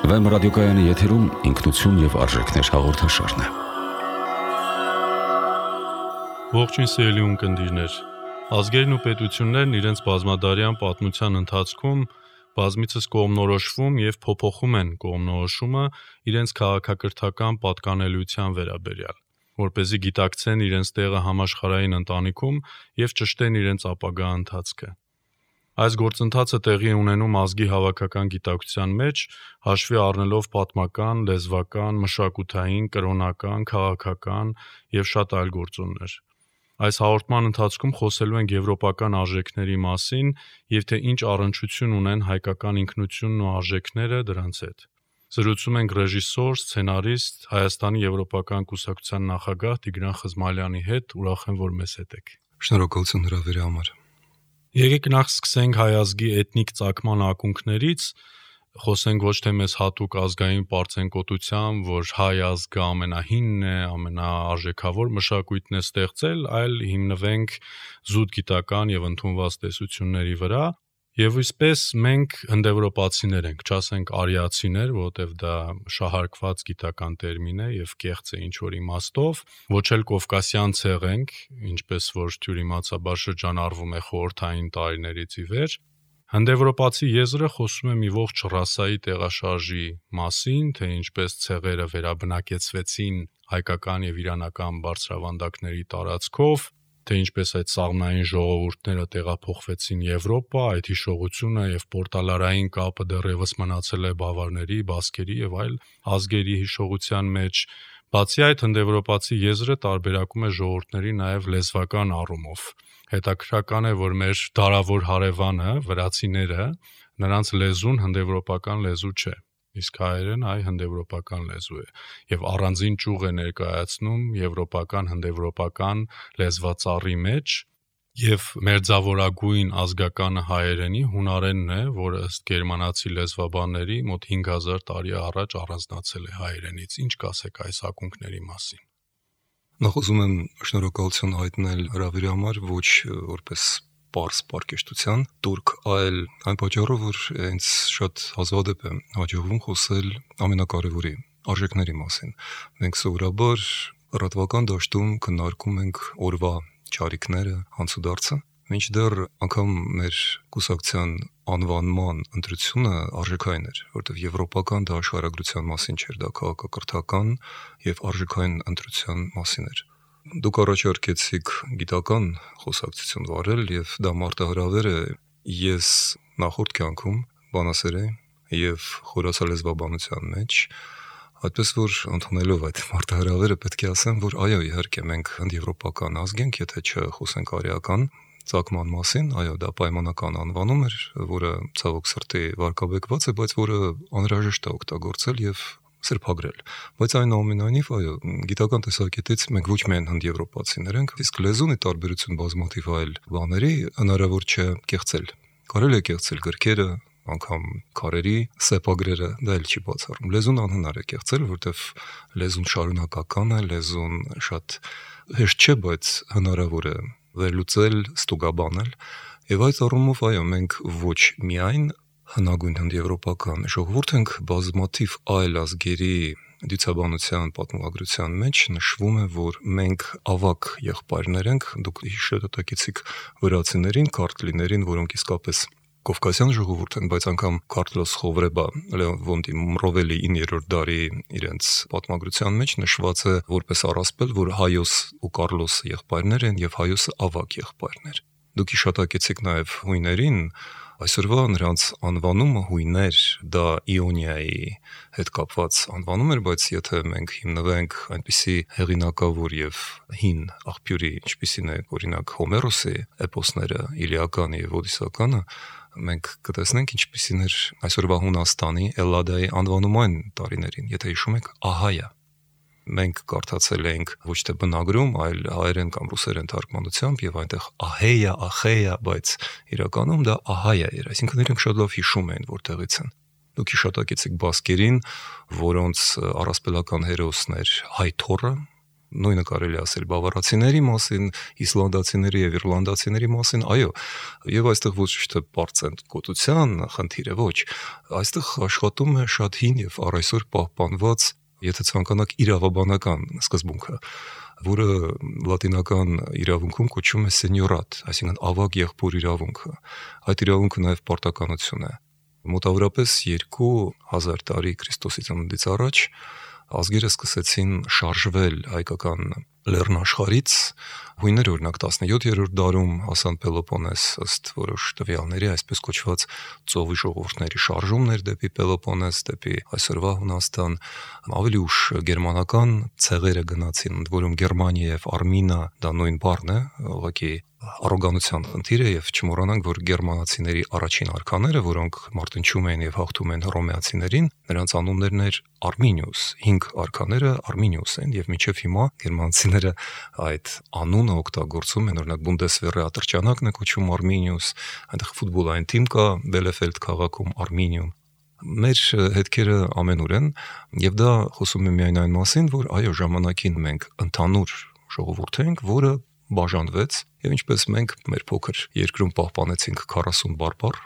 Վեմ ռադիոկայանի եթերում ինքնություն և արժեքներ հաղորդաշարն է։ Ողջույն սիրելի ունկնդիրներ։ Ազգերն ու պետություններն իրենց բազմադարյան պատմության ընթացքում բազմիցս կողմնորոշվում և փոփոխում են կողմնորոշումը իրենց քաղաքակրթական պատկանելիության վերաբերյալ, որպեսզի գիտակցեն իրենց տեղը համաշխարհային ընտանիքում և ճշտեն իրենց ապագա ընթացքը։ Այս գործընթացը տեղի է ունենում ազգի հավաքական գիտակցության մեջ, հաշվի առնելով պատմական, լեզվական, մշակութային, կրոնական, քաղաքական և շատ այլ գործոններ։ Այս հաղորդման ընթացքում խոսելու ենք եվրոպական արժեքների մասին և թե ինչ առնչություն ունեն հայկական ինքնությունն ու արժեքները դրանց հետ։ Զրուցում ենք ռեժիսոր, սցենարիստ, Հայաստանի եվրոպական կուսակցության նախագահ Տիգրան Խզմալյանի հետ, ուրախ եմ, որ մեզ հետ եք։ Շնորհակալություն հրավերի համար։ Եկեք նախ սկսենք հայ ազգի էթնիկ ծագման ակունքներից, խոսենք ոչ թե մեզ հատուկ ազգային պարծենկոտությամբ, որ հայ ազգը ամենահինն է, ամենաարժեքավոր մշակույթն է ստեղծել, այլ հիմնվենք զուտ գիտական և ընդունված տեսությունների վրա, և այսպես մենք հնդեվրոպացիներ ենք, չասենք արիացիներ, որովհետև դա շահարկված գիտական տերմին է և կեղծ է ինչ-որ իմաստով, ոչ էլ կովկասյան ցեղ ենք, ինչպես որ թյուրիմացաբար շրջանառվում է խորհրդային տարիներից ի վեր։ Հնդեվրոպացի եզրը խոսում է մի ողջ ռասայի տեղաշարժի մասին, թե ինչպես ցեղերը վերաբնակեցվեցին հայկական և իրանական բարձրավանդակների տարածքով, թե ինչպես այդ սաղմնային ժողովուրդները տեղափոխվեցին Եվրոպա, այդ հիշողությունը և պորտալարային կապը դեռևս մնացել է բավարների, բասկերի և այլ ազգերի հիշողության մեջ։ Բացի այդ, հնդեվրոպացի եզրը տարբերակում է ժողովուրդների նաև լեզվական առումով։ Հետաքրքրական է, որ մեր դարավոր հարևանը, վրացիները, նրանց լեզուն հնդեվրոպական լեզու չէ, իսկ հայերեն այ հնդեվրոպական լեզու է, և առանձին ճյուղ է ներկայացնում եվրոպական, հնդեվրոպական լեզվածառի մեջ, և մերձավորագույն ազգականը հայերենի հունարենն է, որը ըստ գերմանացի լեզվաբանների մոտ 5000 տարի առաջ առանձնացել է հայերենից։ Ինչ կասեք այս ակունքների մասին։ Նախ ուզում եմ շնորհակալություն հայտնել հրավերի համար, ոչ որպես պարզ պարկեշտության տուրք, այլ այն պատճառով, որ ինձ շատ հազվադեպ է հաջողվում խոսել ամենակարևորի արժեքների մասին։ Մենք սովորաբար լրատվական դաշտում քննարկում ենք օրվա չարիքները, հանցուդարձը, մինչդեռ անգամ մեր կուսակցության անվանման ընտրությունը արժեքային էր, որտեղ եվրոպական դա աշխարհագրության մասին չէր, դա քաղաքակրթական և արժեքային ընտրության մասին էր։ Դուք առաջարկեցիք գիտական խոսակցություն վարել և դա մարտահրավեր է։ Ես նախորդ կյանքում բանասեր էի և խորացա լեզվաբանության մեջ, այդպես որ ընդունելով այդ մարտահրավերը պետք է ասեմ, որ այո, իհարկե մենք հնդեվրոպական ազգ ենք, եթե չխոսենք արիական ծագման մասին, այո, դա պայմանական անվանում էր, որը ցավոք սրտի վարկաբեկված է, բայց որը անհրաժեշտ է օգտագործել և սրբագրել։ Բայց այնուամենայնիվ, այո, գիտական տեսակետից մենք ոչ միայն հնդեվրոպացիներ ենք, իսկ լեզուն ի տարբերություն բազմաթիվ այլ բաների հնարավոր չէ կեղծել։ Կարելի է կեղծել գրքերը, անգամ քարերի սեպագրերը, դա էլ չի բացառում։ Լեզուն անհնար է կեղծել, որտեղ լեզուն շարունակական է, լեզուն շատ հեշտ չէ, բայց հնարավոր է վերլուծել, ստուգաբանել։ Եվ այդ առումով, այո, մենք ոչ միայն հնագույն հնդեվրոպական ժողովուրդ ենք, բազմաթիվ այլ ազգերի դիցաբանության պատմագրության մեջ նշվում է, որ մենք ավագ եղբայրներ ենք։ Դուք հիշատակեցիք վրացիներին, քարտլիներին, որոնք իսկապես կովկասյան ժողովուրդ են, բայց անգամ Քարտլոս Խովրեբա Լեոնտի Մռովելի 9-րդ դարի իրենց պատմագրության մեջ նշված է որպես առասպել, որ Հայոս ու Կարլոս եղբայրներ են եւ Հայոսը ավագ եղբայրներ։ Դուք հիշատակեցիք նաև հույներին, այսօրվա նրանց անվանումը հույներ, դա Իոնիայի հետ կապված անվանում էր, բայց եթե մենք հիմնվենք այնպիսի հեղինակավոր եւ հին աղբյուրի, ինչպիսին է օրինակ Հոմերոսի էպոսները, Իլիականը եւ Օդիսականը, մենք կտեսնենք ինչպիսին էր այսօրվա Հունաստանի Էլլադայի անվանումային տարիներին, եթե հիշում եք, Ահայա։ Մենք կարդացել ենք ոչ թե բնագրում, այլ հայերեն կամ ռուսերեն թարգմանությամբ եւ այնտեղ Ահեյա, Ախեյա, բայց իրականում դա Ահայա էր, այսինքն իրենք շատ լավ հիշում էին որտեղից են։ Դուք հիշատակեցիք բասկերին, որոնց առասպելական հերոսն էր Հայթորը, Նույնը կարելի ասել բավարացիների մասին, իսլանդացիների եւ իռլանդացիների մասին, այո, եւ այստեղ ոչ թե պարծենկոտության խնդիր է, ոչ, այստեղ աշխատում է շատ հին եւ առայսօր պահպանված, եթե ցանկանաք, իրավաբանական սկզբունքը, որը լատինական իրավունքում կոչվում է սենյորատ, այսինքն ավագ եղբոր իրավունքը։ Այդ իրավունքը նաեւ պարտականություն է։ Մոտավորապես 2000 տարի Քրիստոսի ծնունդից առաջ ազգերը սկսեցին շարժվել հայկական լեռնաշխարհից, հույները օրինակ 17-րդ դարում հասան Պելոպոնես ըստ որոշ տվյալների, այսպես կոչված ծովի ժողովուրդների շարժումներ դեպի Պելոպոնես, դեպի այսօրվա Հունաստան, ավելի ուշ գերմանական ցեղերը գնացին, ընդ որում Գերմանիա եւ Արմինա դա նույն բառն է, ուղղակի առոգանության խնդիր է եւ չմոռանանք, որ գերմանացիների առաջին արքաները, որոնք մարտնչում էին եւ հաղթում են հռոմեացիներին, նրանց անուններն էր Արմինիուս, 5 արքաները Արմինիուս են եւ մինչեւ հիմա գերմանացիները այդ անունը օգտագործում են, օրինակ Բունդեսվերը ատրճանակն է կոչվում Արմինիուս, այնտեղ ֆուտբոլային թիմ կա Բելեֆելդ քաղաքում Արմինիում։ Մեր հետքերը ամենուր են եւ դա խոսում է միայն այն մասին, որ այո, ժամանակին մենք ընդհանուր ժողովուրդ ենք, որը բաժանվեց եւ ինչպես մենք մեր փոքր երկրում պահպանեցինք 40 բարբառ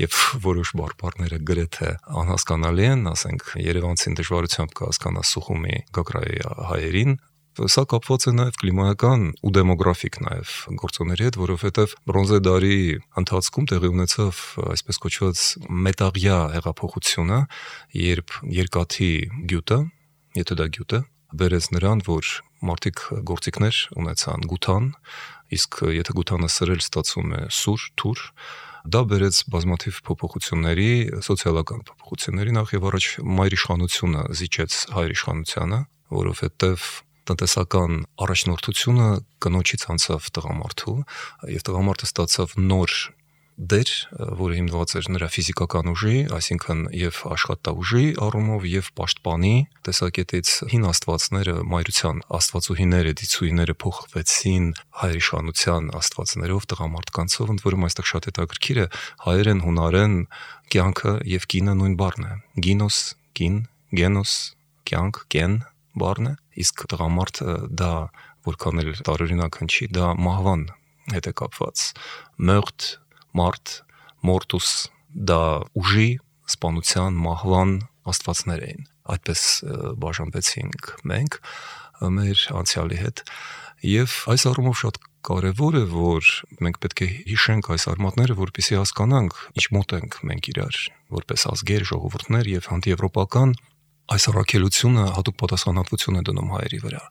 եւ որոշ բարբառները գրեթե անհասկանալի են, ասենք Երևանցին դժվարությամբ կհասկանա Սուխումի Գագրայի հայերին, սա կապված է նաեւ կլիմայական ու դեմոգրաֆիկ նաեւ գործոնների հետ, որովհետեւ բրոնզե դարի ընթացքում տեղի ունեցավ այսպես կոչված մետաղյա հեղափոխությունը, երբ երկաթի գյուտը, եթե դա գյուտ է, բերեց նրան, որ մարդիկ գործիքներ ունեցան գութան, իսկ եթե գութանը սրել ստացվում է սուր, թուր, դա բերեց բազմաթիվ փոփոխությունների, սոցիալական փոփոխությունների, նախ եւ առաջ մայրիշխանությունը զիջեց հայրիշխանությանը, որովհետեւ տնտեսական առաջնորդությունը կնոջից անցավ տղամարդու, եւ տղամարդը ստացավ նոր դեր, որը հիմնված էր նրա ֆիզիկական ուժի, այսինքն եւ աշխատաուժի առումով եւ պաշտպանի տեսակետից հին աստվածները, մայրության աստվածուհիները, դիցուհիները փոխվեցին հայրիշխանության աստվածներով, տղամարդկանցով, ընդ որում այստեղ շատ հետաքրքիր է, հայերեն, հունարեն կյանքը եւ կինը նույն բառն է։ Գինոս, կին, գենոս, կյանք, կեն բառն է, իսկ տղամարդը դա որքան էլ տարօրինակ հնչի, դա մահվան հետ է կապված։ Մորտ, մարդ, մորտուս, դա ուժի, սպանության, մահվան աստվածներ էին։ Այդպես բաժանվեցինք մենք մեր անցյալի հետ եւ այս առումով շատ կարեւոր է, որ մենք պետք է հիշենք այս արմատները, որպեսզի հասկանանք ինչ մոտ ենք մենք իրար, որպես ազգեր, ժողովուրդներ եւ հանդիեվրոպական այս առաքելությունը հատուկ պատասխանատվություն է դնում հայերի վրա։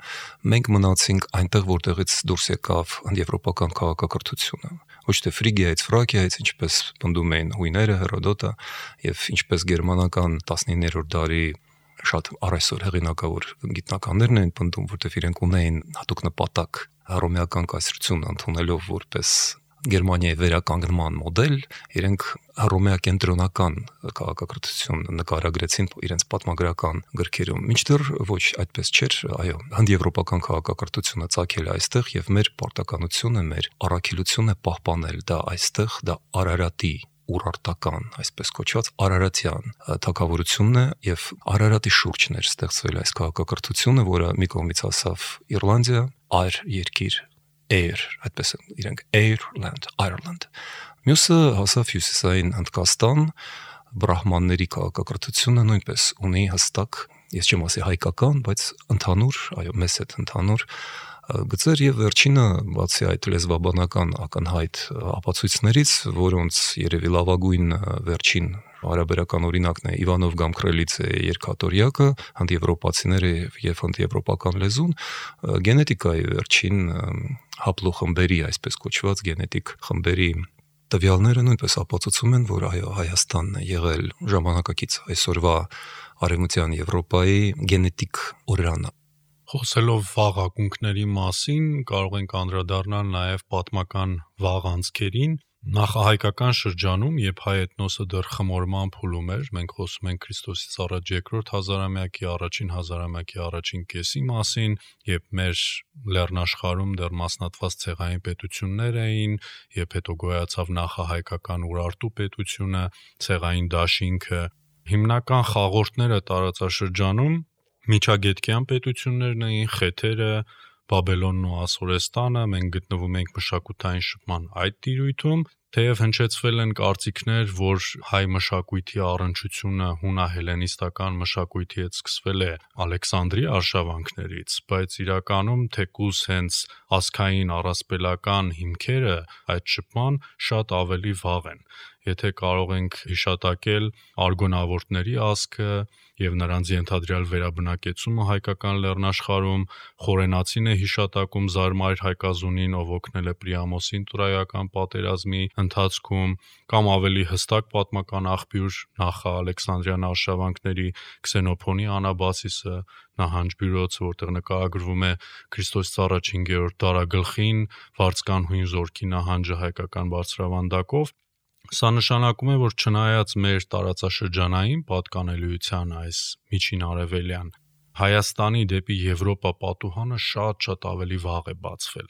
Մենք մնացինք այնտեղ, որտեղից դուրս եկավ հանդիեվրոպական քաղաքակրթությունը։ Ոչ թե Ֆրիգիայից, Ֆրակիայից, ինչպես պնդում էին հույները, Հերոդոտը եւ ինչպես գերմանական 19-րդ դարի շատ առայսօր հեղինակավոր գիտնականներն են պնդում, որտեղ իրենք ունեին հատուկ նպատակ հռոմեական կայսրությունը ընդունելով որպես Գերմանիայի վերականգնման մոդել, իրենք հռոմեակենտրոնական քաղաքակրթություն նկարագրեցին իրենց պատմագրական գրքերում։ Մինչդեռ ոչ այդպես չէր, այո, հանդիեվրոպական քաղաքակրթությունը ծագել է այստեղ եւ մեր պարտականությունը, մեր առաքելությունը պահպանել դա այստեղ, դա Արարատի ուրարտական, այսպես կոչված Արարատյան թագավորությունն է եւ Արարատի շուրջն էր ստեղծվել այս քաղաքակրթությունը, որը մի կողմից ասավ Իռլանդիա, այր երկիր Air, այդպես իրենք Ireland։ Մյուսը հասավ հյուսիսային Հնդկաստան, բրահմանների քաղաքակրթությունը նույնպես ունի հստակ, ես չեմ ասի հայկական, բայց ընդհանուր, այո, մեծ հետ ընդհանուր գծեր եւ վերջինը բացի այդ լեզվաբանական ակնհայտ ապացույցներից, որոնց երևի լավագույն վերջին հարաբերական օրինակն է Իվանով Գամքրելիցե երկաթորյակը, հանդիեվրոպացիները եւ հանդիեվրոպական լեզուն, գենետիկայի վերջին հապլոխմբերի, այսպես կոչված գենետիկ խմբերի տվյալները նույնպես ապացուցում են, որ այո, Հայաստանն է եղել ժամանակակից այսօրվա արևմտյան Եվրոպայի գենետիկ օրրանը։ Խոսելով վաղ ակունքների մասին, կարող ենք անդրադառնալ նաև պատմական վաղ անցքերին։ Նախահայկական շրջանում, երբ հայ էթնոսը դեռ խմորման փուլում էր, մենք խոսում ենք Քրիստոսից առաջ երկրորդ հազարամյակի, առաջին հազարամյակի առաջին կեսի մասին, երբ մեր լեռնաշխարհում դեռ մասնատված ցեղային պետություններ էին, երբ հետո գոյացավ նախահայկական Ուրարտու պետությունը, ցեղային դաշինքը, հիմնական խաղորդները տարածաշրջանում միջագետքյան պետություններն էին, խեթերը, Բաբելոնն ու Ասորեստանը, մենք գտնվում ենք մշակութային շփման այդ տիրույթում, թեև հնչեցվել են կարծիքներ, որ հայ մշակույթի առնչությունը հունահելենիստական մշակույթի հետ սկսվել է Ալեքսանդրի արշավանքներից, բայց իրականում թեկուզ հենց ազգային առասպելական հիմքերը այդ շփման շատ ավելի վաղ են։ Եթե կարող ենք հիշատակել արգոնավորտների ազգը եւ նրանց ենթադրյալ վերաբնակեցումը հայկական լեռնաշխարհում, Խորենացին է հիշատակում Զարմայր Հայկազունին, ով օգնել է Պրիամոսին Տրոյական պատերազմի ընթացքում, կամ ավելի հստակ պատմական աղբյուր նախ Ալեքսանդրյան արշավանքների Քսենոփոնի Անաբասիսը, նահանջբյուրոցը, որտեղ նկարագրվում է Քրիստոսից առաջ 5-րդ դարագլխին վարձկան հույն զորքի նահանջը հայկական բարձրավանդակով։ Սա նշանակում է, որ չնայած մեր տարածաշրջանային պատկանելիության այս միջին արևելյան, Հայաստանի դեպի Եվրոպա պատուհանը շատ ավելի վաղ է բացվել։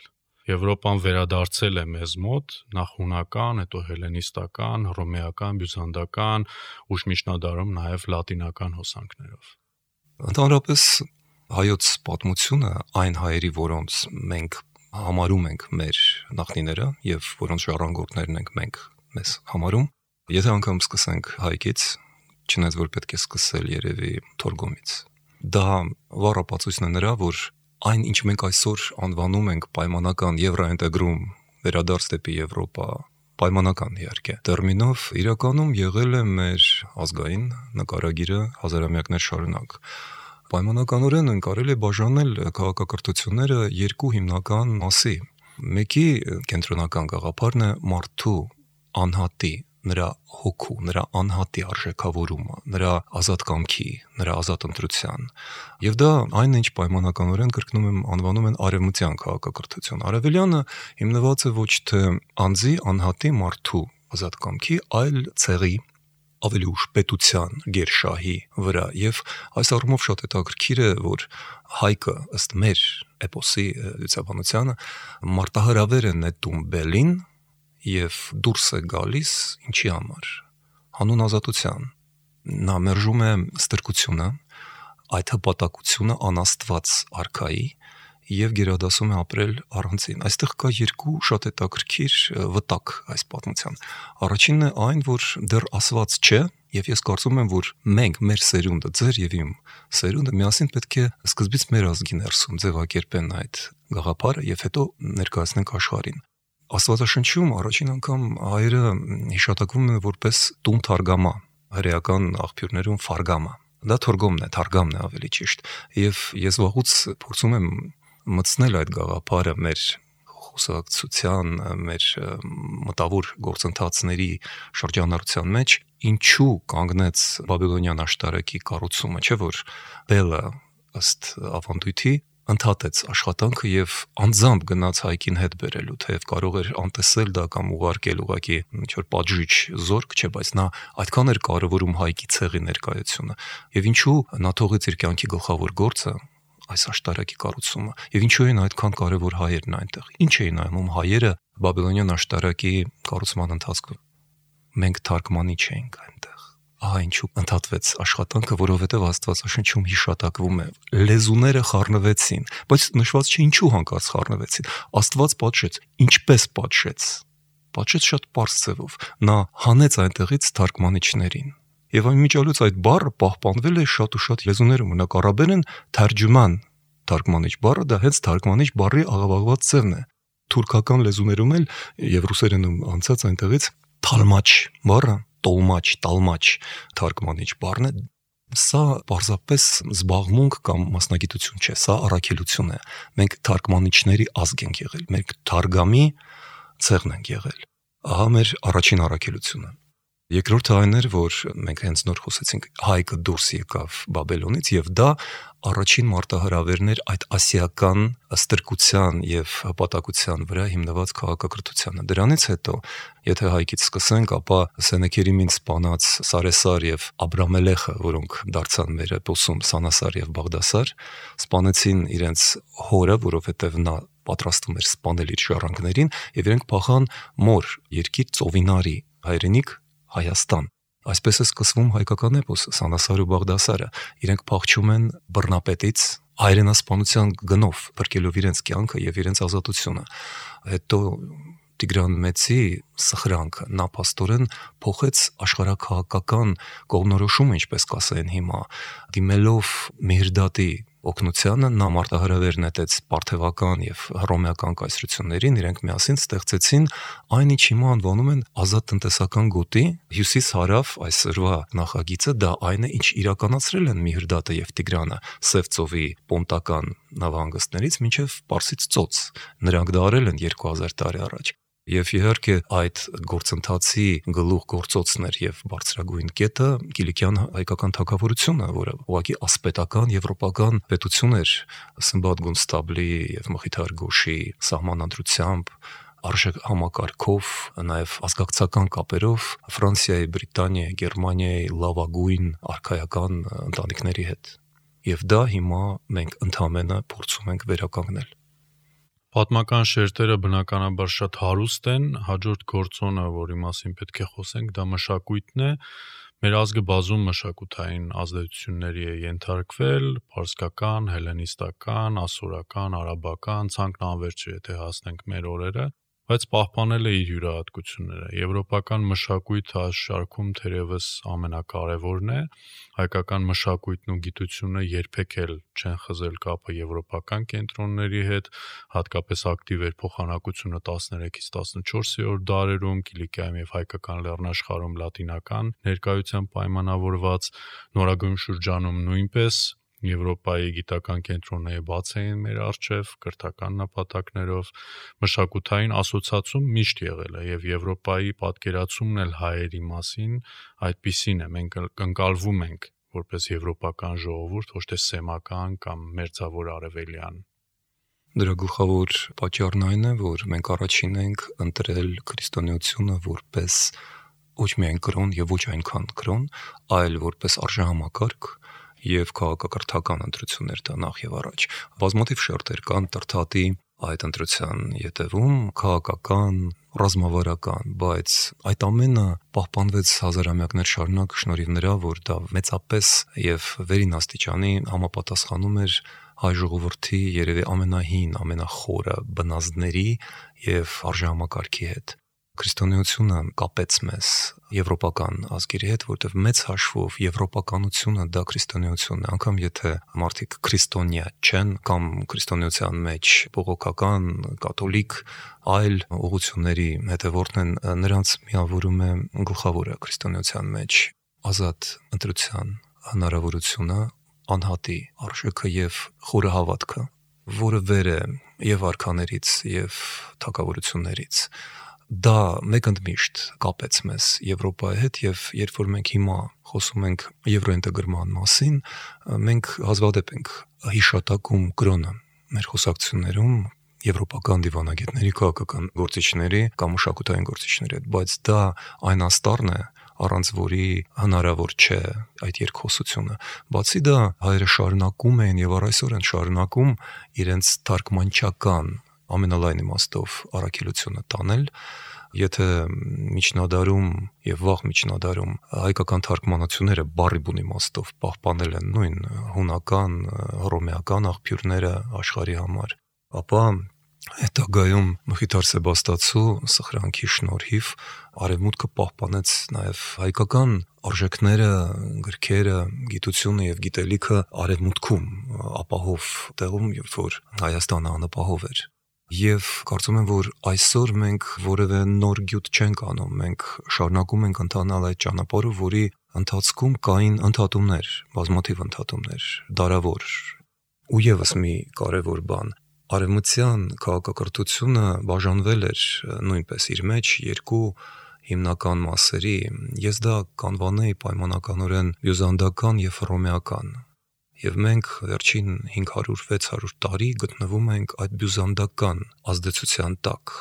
Եվրոպան վերադարձել է մեզ մոտ նախ հունական, հետո հելենիստական, հռոմեական, բյուզանդական, ուշ միջնադարում նաև լատինական հոսանքներով։ Ընդհանրապես հայոց պատմությունը այն հայերի, որոնց մենք համարում ենք մեր նախնիները եւ որոնց ժառանգորդներն ենք մենք մեզ համարում, եթե անգամ սկսենք հայկից, չնայած որ պետք է սկսել երևի Թորգոմից։ Դա վառապացույցն է նրա, որ այն, ինչ մենք այսօր անվանում ենք պայմանական եվրոինտեգրում, վերադարձ դեպի Եվրոպա, պայմանական իհարկե տերմինով, իրականում եղել է մեր ազգային նկարագիրը հազարամյակներ շարունակ։ Պայմանականորեն կարելի է բաժանել քաղաքակրթությունները երկու հիմնական մասի։ Մեկի կենտրոնական գաղափարն է մարդու անհատի, նրա հոգու, նրա անհատի արժեքավորումը, նրա ազատ կամքի, նրա ազատ ընտրության։ Եվ դա այն ինչ պայմանականորեն կրկնում եմ անվանում են արևմտյան քաղաքակրթություն։ Արևելյանը հիմնված է ոչ թե անձի, անհատի, մարդու ազատ կամքի, այլ ցեղի, ավելի ուշ պետության, գերշահի վրա։ Եվ այս առումով շատ հետաքրքիր է, որ հայկը ըստ մեր էպոսի լուսաբանությանը մարտահրավեր է նետում բելին եւ դուրս է գալիս ինչի համար հանուն ազատության։ Նա մերժում է ստրկությունը, այդ հպատակությունը անաստված արքայի եւ գերադասում է ապրել առանցին։ Այստեղ կա երկու շատ հետաքրքիր վտակ այս պատմության։ Առաջինն է այն, որ դեռ ասված չէ, եւ ես կարծում եմ, որ մենք մեր սերունդը, ձեր եւ իմ սերունդը միասին պետք է սկզբից մեր ազգի ներսում ձևակերպեն այդ գաղափարը եւ հետո ներկայացնենք աշխարհին։ Աստվածաշնչում առաջին անգամ հայերը հիշատակվում են որպես տուն թարգամա, հրեական աղբյուրներում ֆարգամա։ Դա թորգոմն է, թարգամն է ավելի ճիշտ։ Եվ ես վաղուց փորձում եմ մտցնել այդ գաղափարը մեր խոսակցության, մեր մտավոր գործընթացների շրջանառության մեջ, ինչու կանգնեց Բաբելոնյան աշտարակի կառուցումը, չէ՞ որ Բելը ըստ ավանդույթի ընդհատեց աշխատանքը եւ անձամբ գնաց հայկին հետ բերելու, թեև կարող էր անտեսել դա կամ ուղարկել ուղակի ինչ-որ պատժիչ զորք, չէ, բայց նա այդքան էր կարևորում հայկի ցեղի ներկայությունը։ Եվ ինչու նա թողեց իր կյանքի գլխավոր գործը այս աշտարակի կառուցումը, եւ ինչու են այդքան կարևոր հայերն այնտեղ։ Ինչ էին անում հայերը Բաբելոնյան աշտարակի կառուցման ընթացքում։ Մենք թարգմանի չենք այնտեղ։ Ահա ինչու ընդհատվեց աշխատանքը, որովհետև Աստվածաշնչում հիշատակվում է լեզուները խառնվեցին, բայց նշված չէ ինչու հանկարծ խառնվեցին։ Աստված պատժեց, ինչպես պատժեց։ Պատժեց շատ պարզ ձևով։ Նա հանեց այնտեղից թարգմանիչներին։ Եվ անմիջալուց այդ բառը պահպանվել է շատ ու շատ լեզուներում։ Օրինակ արաբերեն թերջման թարգմանիչ բառը դա հենց թարգմանիչ բառի աղավաղված ձևն է։ Թուրքական լեզուներում էլ եւ ռուսերենում անցած այնտեղից թալմաչ բառը տալմաչ թարգմանիչ բառն է։ Սա պարզապես զբաղմունք կամ մասնագիտություն չէ, սա առաքելություն է։ Մենք թարգմանիչների ազգ ենք եղել, մենք թարգամի ցեղն ենք եղել։ Ահա մեր առաջին առաքելությունը։ Երկրորդը այն էր, որ մենք հենց նոր խոսեցինք, հայկը դուրս եկավ Բաբելոնից եւ դա առաջին մարտահրավերն էր այդ ասիական ստրկության եւ հպատակության վրա հիմնված քաղաքակրթությանը։ Դրանից հետո, եթե հայկից սկսենք, ապա Սենեքերիմին սպանած Սարեսար եւ Աբրամելեխը, որոնք դարձան մեր էպոսում Սանասար եւ Բաղդասար, սպանեցին իրենց հորը, որովհետեւ նա պատրաստվում էր սպանել իր ժառանգներին եւ իրենք փախան մոր երկիր Ծովինարի հայրենիք Հայաստան։ Այսպես է սկսվում հայկական էպոս Սանասար ու Բաղդասարը։ Իրենք փախչում են բռնապետից, հայրենասպանության գնով բրկելով իրենց կյանքը եւ իրենց ազատությունը։ Հետո Տիգրան Մեծի սխրանքը նա փաստորեն փոխեց աշխարհակահաղական կողմնորոշումը, ինչպես կասեն հիմա, դիմելով Մեհրդատի օգնությանը նա մարտահրավեր նետեց պարթևական եւ հռոմեական կայսրություններին, իրենք միասին ստեղծեցին այն, ինչ հիմա անվանում են ազատ տնտեսական գոտի, հյուսիս-հարավ այսօրվա նախագիծը դա այն է, ինչ իրականացրել են Մեհրդատը եւ Տիգրանը Սև ծովի պոնտական նավահանգստներից մինչեւ Պարսից ծոց։ Նրանք դա արել են 2000 տարի առաջ։ Եվ իհարկե այդ գործընթացի գլուխ գործոցն էր եւ բարձրագույն կետը Կիլիկյան հայկական թագավորությունը, որը ուղղակի ասպետական եվրոպական պետություն էր Սմբատ Գունստաբլի եւ Մխիթար Գոշի սահմանադրությամբ, արժեք համակարգով, նաեւ ազգակցական կապերով Ֆրանսիայի, Բրիտանիայի, Գերմանիայի լավագույն արքայական ընտանիքների հետ։ Եվ դա հիմա մենք ընդհանրապես փորձում ենք վերականգնել։ Պատմական շերտերը բնականաբար շատ հարուստ են, հաջորդ գործոնը, որի մասին պետք է խոսենք, դա մշակույթն է։ Մեր ազգը բազում մշակութային ազդեցությունների է ենթարկվել, պարսկական, հելենիստական, ասորական, արաբական, ցանկն անվերջ է, եթե հասնենք մեր օրերը, բայց պահպանել է իր յուրահատկությունները։ Եվրոպական մշակույթը այս շարքում թերևս ամենակարևորն է։ Հայկական մշակույթն ու գիտությունը երբեք էլ չեն խզել կապը եվրոպական կենտրոնների հետ, հատկապես ակտիվ էր փոխանակությունը 13-ից 14-րդ դարերում, Կիլիկիայում եւ հայկական լեռնաշխարհում լատինական ներկայությամբ պայմանավորված, նորագույն շրջանում նույնպես Եվրոպայի գիտական կենտրոնները բաց էին մեր առջև կրթական նպատակներով, մշակութային ասոցիացում միշտ եղել է եւ Եվրոպայի պատկերացումն էլ հայերի մասին այդպիսին է, մենք ընկալվում ենք որպես եվրոպական ժողովուրդ, ոչ թե սեմական կամ մերձավոր արևելյան։ Դրա գլխավոր պատճառն այն է, որ մենք առաջին ենք ընտրել քրիստոնեությունը որպես ոչ միայն կրոն եւ ոչ այնքան կրոն, այլ որպես արժեհամակարգ եւ քաղաքակրթական ընտրություններ դա նախ եւ առաջ։ Բազմաթիվ շերտեր կան Տրթատի այդ ընտրության յետևում, քաղաքական, ռազմավարական, բայց այդ ամենը պահպանվեց հազարամյակներ շարունակ շնորհիվ նրա, որ դա մեծապես եւ վերին աստիճանի համապատասխանում էր հայ ժողովրդի երևի ամենահին, ամենախորը բնազդների եւ արժեհամակարգի հետ։ Քրիստոնեությունը կապեց մեզ եվրոպական ազգերի հետ, որտեղ մեծ հաշվով եվրոպականությունը դա քրիստոնեությունն է, անգամ եթե մարդիկ քրիստոնյա չեն կամ քրիստոնեության մեջ բողոքական, կաթոլիկ, այլ ուղղությունների հետևորդն են, նրանց միավորում է գլխավորը քրիստոնեության մեջ ազատ ընտրության հնարավորությունը, անհատի արժեքը եւ խորը հավատքը, որը վեր է եւ արքաներից եւ թագավորություններից։ Դա մեկընդմիշտ կապեց մեզ Եվրոպայի հետ եւ երբ որ մենք հիմա խոսում ենք եվրոինտեգրման մասին, մենք հազվադեպ ենք հիշատակում կրոնը մեր խոսակցություններում եվրոպական դիվանագետների, քաղաքական գործիչների կամ մշակութային գործիչների հետ, բայց դա այն աստառն է, առանց որի հնարավոր չէ այդ երկխոսությունը։ Բացի դա հայերը շարունակում են եւ առ այսօր են շարունակում իրենց թարգմանչական ամենալայն իմաստով առաքելությունը տանել, եթե միջնադարում եւ վաղ միջնադարում հայկական թարգմանությունները բառի բուն իմաստով պահպանել են նույն հունական, հռոմեական աղբյուրները աշխարհի համար, ապա հետագայում Մխիթար Սեբաստացու սխրանքի շնորհիվ արևմուտքը պահպանեց նաեւ հայկական արժեքները, գրքերը, գիտությունը եւ գիտելիքը արևմուտքում ապահով տեղում, երբ որ Հայաստանը անապահով էր։ Եվ կարծում եմ, որ այսօր մենք որևէ նոր գյուտ չենք անում, մենք շարունակում ենք ընթանալ այդ ճանապարհով, որի ընթացքում կային ընդհատումներ, բազմաթիվ ընդհատումներ, դարավոր։ Ու եւս մի կարևոր բան, արևմտյան քաղաքակրթությունը բաժանվել էր նույնպես իր մեջ երկու հիմնական մասերի։ Ես դա կանվանեի պայմանականորեն բյուզանդական եւ հռոմեական։ Եվ մենք վերջին 500-600 տարի գտնվում ենք այդ բյուզանդական ազդեցության տակ։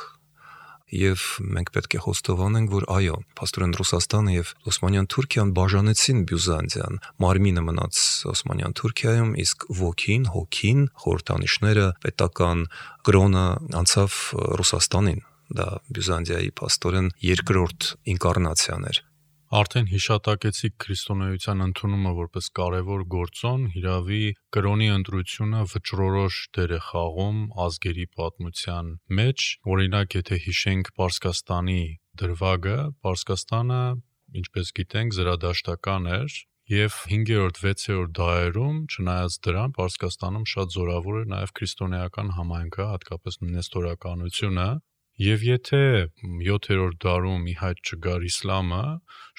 Եվ մենք պետք է խոստովանենք, որ այո, փաստորեն Ռուսաստանը եւ Օսմանյան Թուրքիան բաժանեցին Բյուզանդիան, մարմինը մնաց Օսմանյան Թուրքիայում, իսկ ոգին, հոգին, խորհրդանիշները, պետական կրոնը անցավ Ռուսաստանին։ Դա Բյուզանդիայի փաստորեն երկրորդ ինկարնացիան էր։ Արդեն հիշատակեցիք քրիստոնեության ընդունումը որպես կարևոր գործոն, հիրավի կրոնի ընտրությունը վճռորոշ դեր է խաղում ազգերի պատմության մեջ։ Օրինակ, եթե հիշենք Պարսկաստանի դրվագը, Պարսկաստանը, ինչպես գիտենք, զրադաշտական էր, եւ 5-րդ, 6-րդ դարերում, չնայած դրան, Պարսկաստանում շատ զորավոր էր նաեւ քրիստոնեական համայնքը, հատկապես նեստորականությունը։ Եվ եթե 7-րդ դարում ի հայտ չգար իսլամը,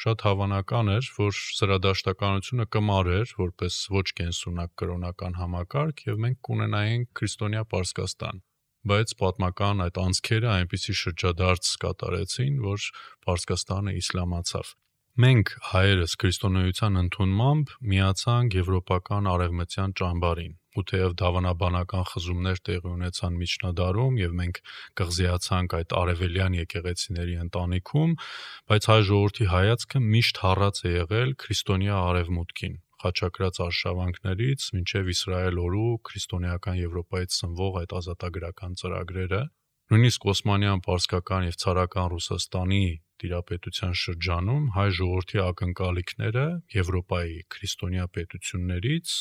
շատ հավանական էր, որ զրադաշտականությունը կմարեր որպես ոչ կենսունակ կրոնական համակարգ եւ մենք կունենայինք քրիստոնյա Պարսկաստան։ Բայց պատմական այդ անցքերը այնպիսի շրջադարձ կատարեցին, որ Պարսկաստանը իսլամացավ։ Մենք հայերս քրիստոնեության ընդունմամբ միացանք եվրոպական արևմտյան ճամբարին։ Ու թեև դավանաբանական խզումներ տեղի ունեցան միջնադարում եւ մենք կղզիացանք այդ արևելյան եկեղեցիների ընտանիքում, բայց հայ ժողովրդի հայացքը միշտ հառած է եղել քրիստոնյա արևմուտքին, խաչակրած արշավանքներից մինչև Իսրայել օրու քրիստոնեական Եվրոպայից սնվող այդ ազատագրական ծրագրերը, նույնիսկ Օսմանյան, Պարսկական եւ ցարական Ռուսաստանի տիրապետության շրջանում հայ ժողովրդի ակնկալիքները Եվրոպայի քրիստոնյա պետություններից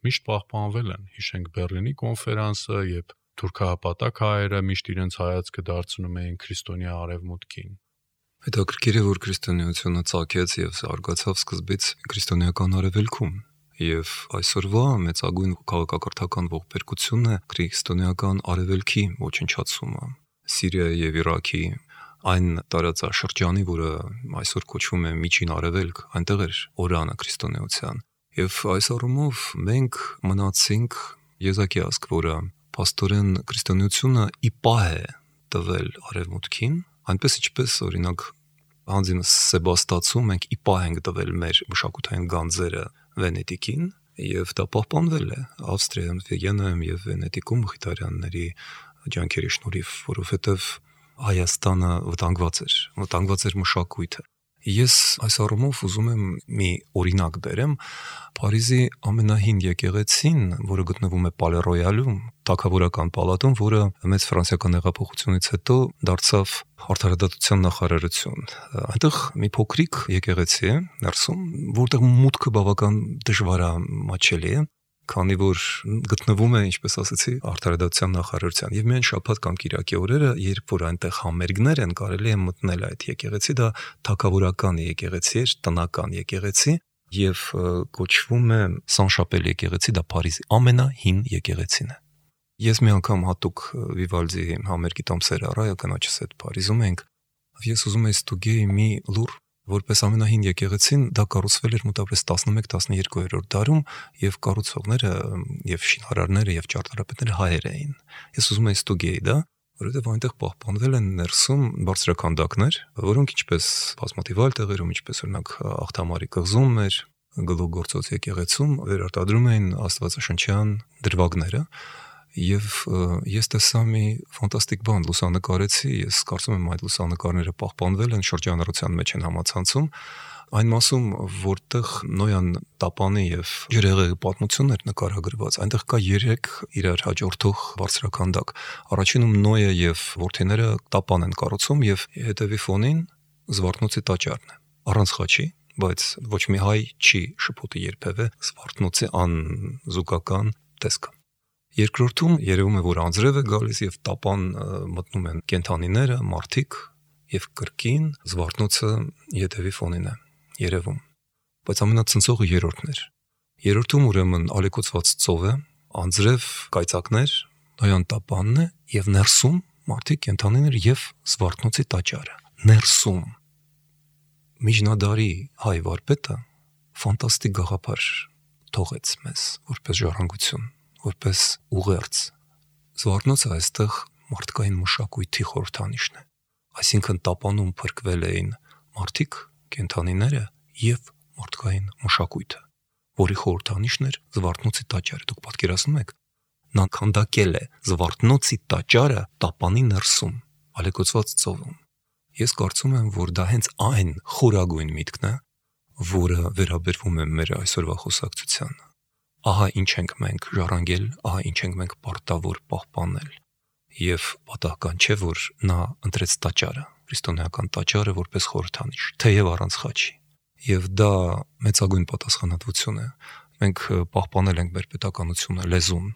միշտ պահպանվել են։ Հիշենք Բեռլինի կոնֆերանսը, երբ թուրքահապատակ հայերը միշտ իրենց հայացքը դարձնում էին քրիստոնյա արևմուտքին։ Հետաքրքիր է, որ քրիստոնեությունը ծագեց եւ զարգացավ սկզբից քրիստոնեական արևելքում, եւ այսօրվա մեծագույն քաղաքակրթական ողբերգությունն է քրիստոնեական արևելքի ոչնչացումը։ Սիրիայի եւ Իրաքի այն տարածաշրջանի, որը այսօր կոչվում է Միջին Արևելք, այնտեղ էր օրանը քրիստոնեության։ Եվ այս առումով մենք մնացինք եզակի ազգ, որը փաստորեն քրիստոնեությունը ի պահ է տվել արևմուտքին, այնպես ինչպես օրինակ Հանձինս Սեբաստացում մենք ի պահ ենք տվել մեր մշակութային գանձերը Վենետիկին, եւ դա պահպանվել է Ավստրիայում, Վիեննայում եւ Վենետիկում Մխիթարյանների ջանքերի շնորհիվ, որովհետեւ Հայաստանը վտանգված էր մշակույթը։ Ես այս առումով ուզում եմ մի օրինակ բերեմ Փարիզի ամենահին եկեղեցին, որը գտնվում է Պալե Ռոյալում, թագավորական պալատում, որը մեծ ֆրանսիական հեղափոխությունից հետո դարձավ արդարադատության նախարարություն։ Այնտեղ մի փոքրիկ եկեղեցի է ներսում, որտեղ մուտքը բավական դժվար է մաչելի է, քանի որ գտնվում է, ինչպես ասացի, արդարադատության նախարարության։ Եվ միայն շաբաթ կամ կիրակի օրերը, երբ որ այնտեղ համերգներ են, կարելի է մտնել այդ եկեղեցի, դա թագավորական եկեղեցի էր, տնական եկեղեցի, եւ կոչվում է Սան-Շապել եկեղեցի, դա Փարիզի ամենահին եկեղեցին է։ Ես մի անգամ հատուկ Վիվալդի համերգի տոմսեր առա, կնոջս հետ Փարիզում ենք, ես ուզում եի ստուգեի մի լուր, որպես ամենահին եկեղեցին, դա կառուցվել էր մոտավորապես 11-12-րդ դարում եւ կառուցողները եւ շինարարները եւ ճարտարապետները հայեր էին։ Ես ուզում եի ստուգեի դա, որովհետեւ այնտեղ պահպանվել են ներսում բարձրաքանդակներ, որոնք ինչպես բազմաթիվ այլ տեղերում, ինչպես օրինակ Աղթամարի կղզում էր, Գլուխգործոց եկեղեցում վերարտադրում էին աստվածաշնչյան դրվագները։ Եվ ես տեսա մի ֆանտաստիկ բան, լուսանկարեցի, ես կարծում եմ այդ լուսանկարները պահպանվել են, շրջանառության մեջ են համացանցում, այն մասում, որտեղ Նոյան տապանի եւ ջրհեղեղի պատմությունն էր նկարագրված, այնտեղ կա 3 իրար հաջորդող բարձրաքանդակ։ Առաջինում Նոյը եւ որդիները տապան են կառուցում եւ հետևի ֆոնին Զվարթնոցի տաճարն է, առանց խաչի, բայց ոչ մի հայ չի շփոթի երբևէ Զվարթնոցի անզուգական տեսքը։ Երկրորդում երևում է, որ անձրև է գալիս եւ տապան մտնում են կենթանիները, մարդիկ եւ կրկին Զվարթնոցը յետևի ֆոնին է երևում։ Բայց ամենացնցողը երրորդն էր։ Երրորդում ուրեմն ալեկոծված ծով է, անձրև կայծակներ, Նոյան տապանն է եւ ներսում մարդիկ, կենթանիներ եւ Զվարթնոցի տաճարը։ Ներսում միջնադարի հայ վարպետը ֆանտաստիկ գաղափար թողեց մեզ որպես ժառանգություն, որպես ուղերձ։ Զվարթնոցը այստեղ մարդկային մշակույթի խորհրդանիշն է։ Այսինքն տապանում փրկվել էին մարդիկ, կենթանիները եւ մարդկային մշակույթը, որի խորհրդանիշն էր Զվարթնոցի տաճարը։ Դուք պատկերացնում եք, նա քանդակել է Զվարթնոցի տաճարը տապանի ներսում, ալեկոծված ծովում։ Ես կարծում եմ, որ դա հենց այն խորագույն միտքն է, որը վերաբերվում է մեր այսօրվա խոսակցությանը։ Ահա ինչ ենք մենք ժառանգել, ահա ինչ ենք մենք պարտավոր պահպանել։ Եվ պատահական չէ, որ նա ընտրեց տաճարը, քրիստոնեական տաճարը որպես խորհրդանիշ, թեև առանց խաչի։ եւ դա մեծագույն պատասխանատվություն է։ Մենք պահպանել ենք մեր պետականությունը, լեզուն,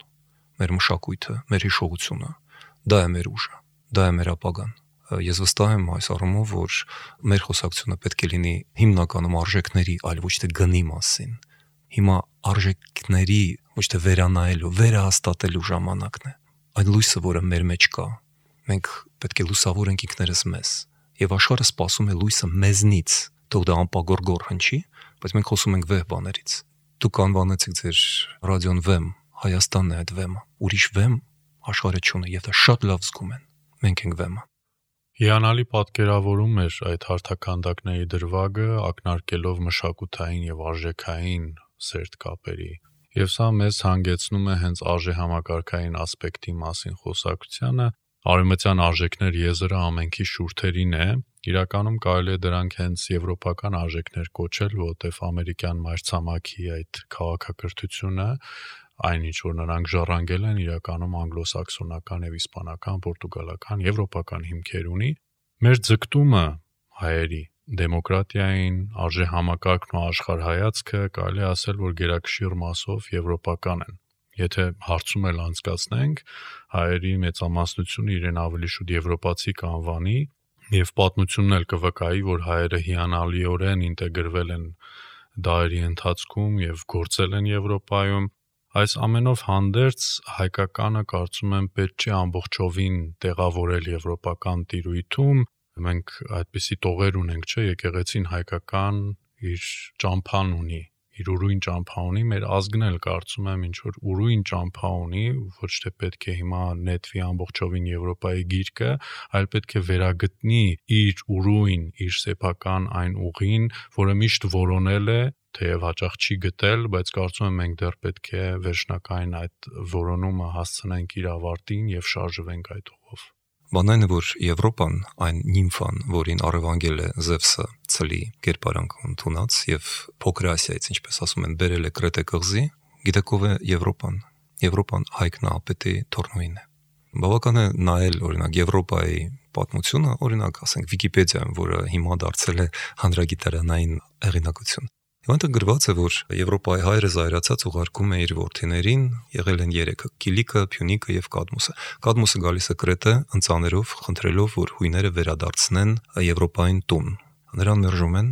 մեր մշակույթը, մեր հիշողությունը։ Դա է մեր ուժը, դա է մեր ապագան։ Ես վստահ եմ այս առումով, որ մեր խոսակցությունը պետք է լինի հիմնականում արժեքների, այլ ոչ թե գնի մասին։ Հիմա արժեքների ոչ թե վերանայելու, վերահաստատելու ժամանակն է։ Այդ լույսը, որը մեր մեջ կա, մենք պետք է լուսավորենք ինքներս մեզ։ Եվ աշխարհը սպասում է լույսը մեզնից, թող դա անպագորգոր հնչի, բայց մենք խոսում ենք վեհ բաներից։ Դուք անվանեցիք ձեր ռադիոն վեմ, Հայաստանն է այդ վեմը։ Ուրիշ վեմ աշխարհը չունի, եւ դա շատ լավ զգում են։ Մենք ենք վեմը։ Հիանալի պատկերավորում էր այդ հարթականդակների դրվագը, ակնարկելով մշակութային եւ արժեքային սերտ կապերի։ Եվ սա մեզ հանգեցնում է հենց արժեհամակարգային ասպեկտի մասին խոսակցությանը։ Արևմտյան արժեքներ եզրը ամենքի շուրթերին է։ Իրականում կարելի է դրանք հենց եվրոպական արժեքներ կոչել, որտեղ ամերիկյան մայրցամաքի այդ քաղաքակրթությունը, այնինչ որ նրանք ժառանգել են, իրականում անգլոսաքսոնական եւ իսպանական, պորտուգալական, եվրոպական հիմքեր ունի։ Մեր ձգտումը հայերի դեմոկրատիային, արժեհամակարգն ու աշխարհայացքը կարելի է ասել, որ գերակշիռ մասով եվրոպական են։ Եթե հարցում էլ անցկացնենք, հայերի մեծամասնությունը իրեն ավելի շուտ եվրոպացի կանվանի եւ պատմությունն էլ կվկայի, որ հայերը հիանալիորեն ինտեգրվել են դարերի ընթացքում եւ գործել են Եվրոպայում։ Այս ամենով հանդերձ հայկականը կարծում եմ պետք չէ ամբողջովին տեղավորել եվրոպական տիրույթում։ Մենք այդպիսի տողեր ունենք, չէ, եկեղեցին հայկական իր ճամփան ունի, իր ուրույն ճամփա ունի, մեր ազգն էլ կարծում եմ ինչ որ ուրույն ճամփա ունի, ոչ թե պետք է հիմա նետվի ամբողջովին Եվրոպայի գիրկը, այլ պետք է վերագտնի իր ուրույն, իր սեփական այն ուղին, որը միշտ որոնել է, թեև հաճախ չի գտել, բայց կարծում եմ մենք դեռ պետք է վերջնական այդ որոնումը հասցնենք իր ավարտին եւ շարժվենք այդ ուղով։ Բանն այն է, որ Եվրոպան, այն նիմֆան, որին առևանգել է Զևսը ցլի կերպարանք ընդունած եւ Փոքր Ասիայից, ինչպես ասում են, բերել է Կրետե կղզի, գիտեք ով է Եվրոպան։ Եվրոպան Հայկ Նահապետի թորնուին է։ Բավական է նայել օրինակ Եվրոպայի պատմությունը, օրինակ ասենք Վիկիպեդիայում, որը հիմա դարձել է հանրագիտարանային հեղինակություն։ Եվ այնտեղ գրված է, որ Եվրոպայի հայրը զայրացած ուղարկում է իր որդիներին, եղել են 3-ը՝ Կիլիկը, Փյունիկը եւ Կադմոսը։ Կադմոսը գալիս է Կրետե ընծաներով, խնդրելով, որ հույները վերադարձնեն Եվրոպային տուն։ Նրան մերժում են,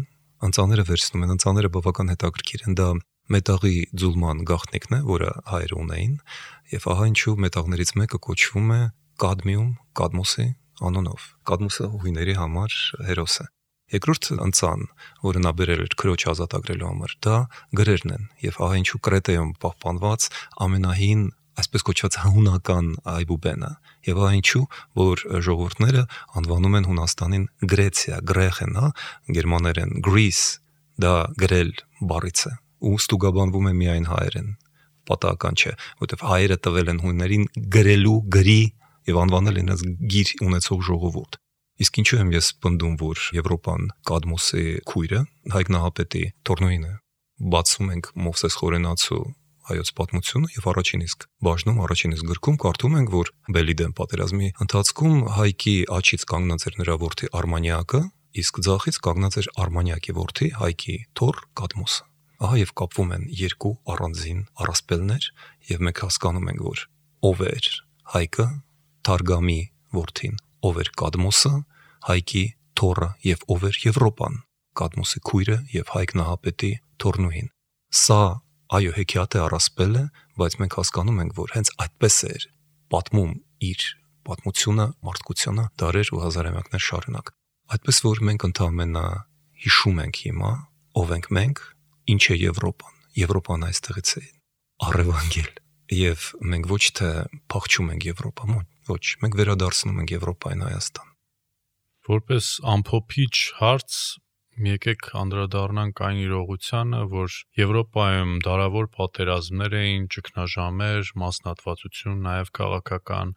ընծաները վերցնում են, ընծաները բավական հետաքրքիր են, դա մետաղի ձուլման գաղտնիքն է, որը հայերը ունեին, եւ ահա ինչու մետաղներից մեկը կոչվում է կադմիում, Կադմոսի անունով։ Կադմոսը հույների համար հերոս է։ Երկրորդ ընծան, որը նա բերել էր քրոջ ազատագրելու համար, դա գրերն են, եւ ահա ինչու Կրետեում պահպանված ամենահին, այսպես կոչված հունական այբուբենը, եւ ահա ինչու, որ ժողովուրդները անվանում են Հունաստանին Գրեցիա, գրեխեն, հա, գերմաներեն Greece, դա գրել բառից է, ու ստուգաբանվում է միայն հայերեն, պատահական չէ, որովհետեւ հայերը տվել են հույներին գրելու, գրի եւ անվանել են գիր ունեցող ժողովուրդ։ Իսկ ինչու եմ ես պնդում, որ Եվրոպան Կադմոսի քույրը Հայկ Նահապետի թորնուին է։ Բացում ենք Մովսես Խորենացու հայոց պատմությունը եւ առաջին իսկ բաժնում, առաջին իսկ գրքում կարդում ենք, որ Բելիդեն պատերազմի ընթացքում Հայկի աչից կանգնած էր նրա որդի Արմանիակը, իսկ ձախից կանգնած էր Արմանիակի որդի Հայկի թոր Կադմոսը։ Ահա եւ կապվում են երկու առանձին առասպելներ եւ մենք հասկանում ենք, որ ով էր Հայկը, Թարգամի որդին, ով էր Կադմոսը, Հայկի թորը եւ ով էր Եվրոպան, Կադմոսի քույրը եւ Հայկ Նահապետի թորնուին։ Սա այո հեքիաթ է, առասպել է, բայց մենք հասկանում ենք, որ հենց այդպես էր պատմում իր պատմությունը, մարդկությունը դարեր ու հազարամյակներ շարունակ։ Այդպես որ մենք ընդհանրապես հիշում ենք հիմա, ով ենք մենք, ինչ է Եվրոպան։ Եվրոպան այստեղից է առևանգել եւ մենք ոչ թե փախչում ենք Եվրոպա, ոչ, մենք վերադարձնում ենք Եվրոպային Հայաստան։ Որպես ամփոփիչ հարց եկեք անդրադառնանք այն իրողությանը, որ Եվրոպայում դարավոր պատերազմներ էին, ճգնաժամեր, մասնատվածություն, նաև քաղաքական,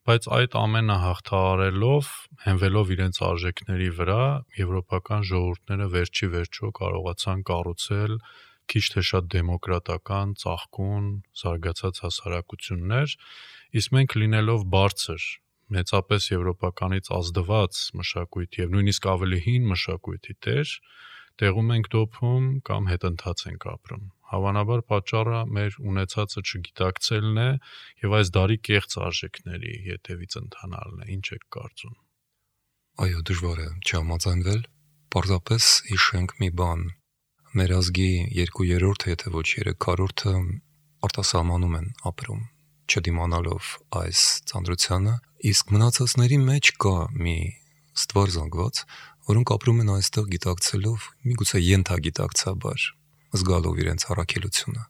բայց այդ ամենը հաղթահարելով, հենվելով իրենց արժեքների վրա, եվրոպական ժողովուրդները վերջի վերջո կարողացան կառուցել քիչ թե շատ դեմոկրատական, ծաղկուն, զարգացած հասարակություններ, իսկ մենք լինելով բարձր մեծապես եվրոպականից ազդված մշակույթ եւ նույնիսկ ավելի հին մշակույթի տեր, տեղում ենք դոփում կամ հետընթաց ենք ապրում։ Հավանաբար պատճառը մեր ունեցածը չգիտակցելն է եւ այս դարի կեղծ արժեքների հետևից ընթանալն է։ Ինչ եք կարծում։ Այո, դժվար է չհամաձայնվել։ Պարզապես հիշենք մի բան. մեր ազգի 2/3, եթե ոչ 3/4-ը արտասահմանում են ապրում, չդիմանալով այս ծանրությանը, իսկ մնացածների մեջ կա մի ստվար զանգված, որոնք ապրում են այստեղ գիտակցելով, միգուցե ենթագիտակցաբար, զգալով իրենց առաքելությունը։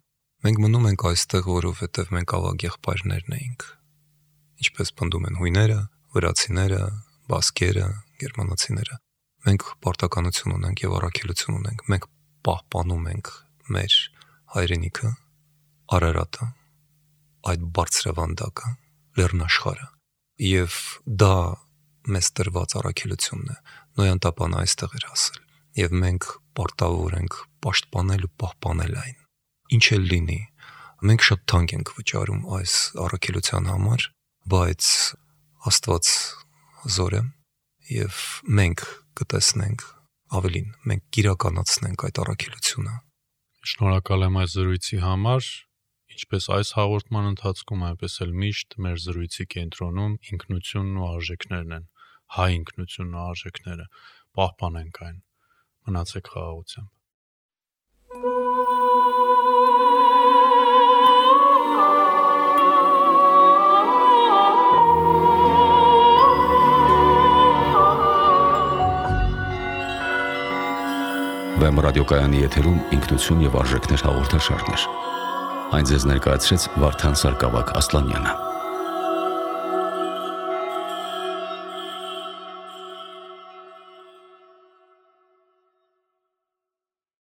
Մենք մնում ենք այստեղ, որովհետև մենք ավագ եղբայրներն էինք։ Ինչպես պնդում են հույները, վրացիները, բասկերը, գերմանացիները։ Մենք պարտականություն ունենք եւ առաքելություն ունենք։ Մենք պահպանում ենք մեր հայրենիքը, Արարատը, այդ բարձրավանդակը, լեռնաշխարհը։ Եվ դա մեզ տրված առաքելությունն է։ Նոյան տապանը այստեղ էր հասել, եւ մենք պարտավոր ենք պաշտպանել ու պահպանել այն։ Ինչ էլ լինի, մենք շատ թանկ ենք վճարում այս առաքելության համար, բայց Աստված զոր է, եւ մենք կտեսնենք ավելին, մենք կիրականացնենք այդ առաքելությունը։ Շնորհակալ եմ այս զրույցի համար։ Ինչպես այս հաղորդման ընթացքում, այնպես էլ միշտ մեր զրույցի կենտրոնում ինքնությունն ու արժեքներն են, հայ ինքնությունն ու արժեքները, պահպանենք այն։ Մնացեք խաղաղությամբ։ Վեմ ռադիոկայանի եթերում ինքնություն եւ արժեքներ հաղորդաշարներ։ Այն ձեզ ներկայացրեց Վարդան Սարգսակ Ասլանյանը։